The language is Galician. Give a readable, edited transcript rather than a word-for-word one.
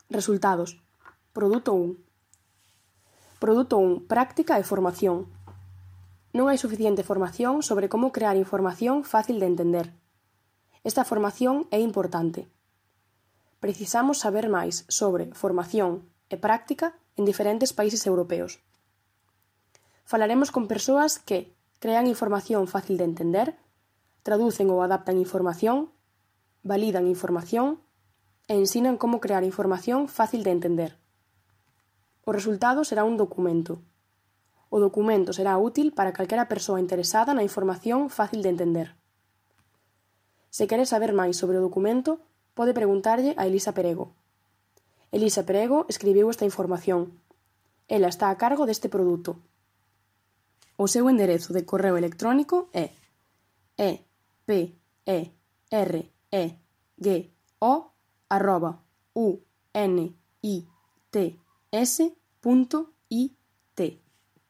Resultados. Produto 1. Produto 1. Práctica e formación. Non hai suficiente formación sobre como crear información fácil de entender. Esta formación é importante. Precisamos saber máis sobre formación e práctica en diferentes países europeos. Falaremos con persoas que crean información fácil de entender, traducen ou adaptan información, validan información e ensinan como crear información fácil de entender. O resultado será un documento. O documento será útil para calquera persoa interesada na información fácil de entender. Se quere saber máis sobre o documento, pode preguntarlle a Elisa Perego. Elisa Perego escribiu esta información. Ela está a cargo deste produto. O seu enderezo de correo electrónico é eperego@units.it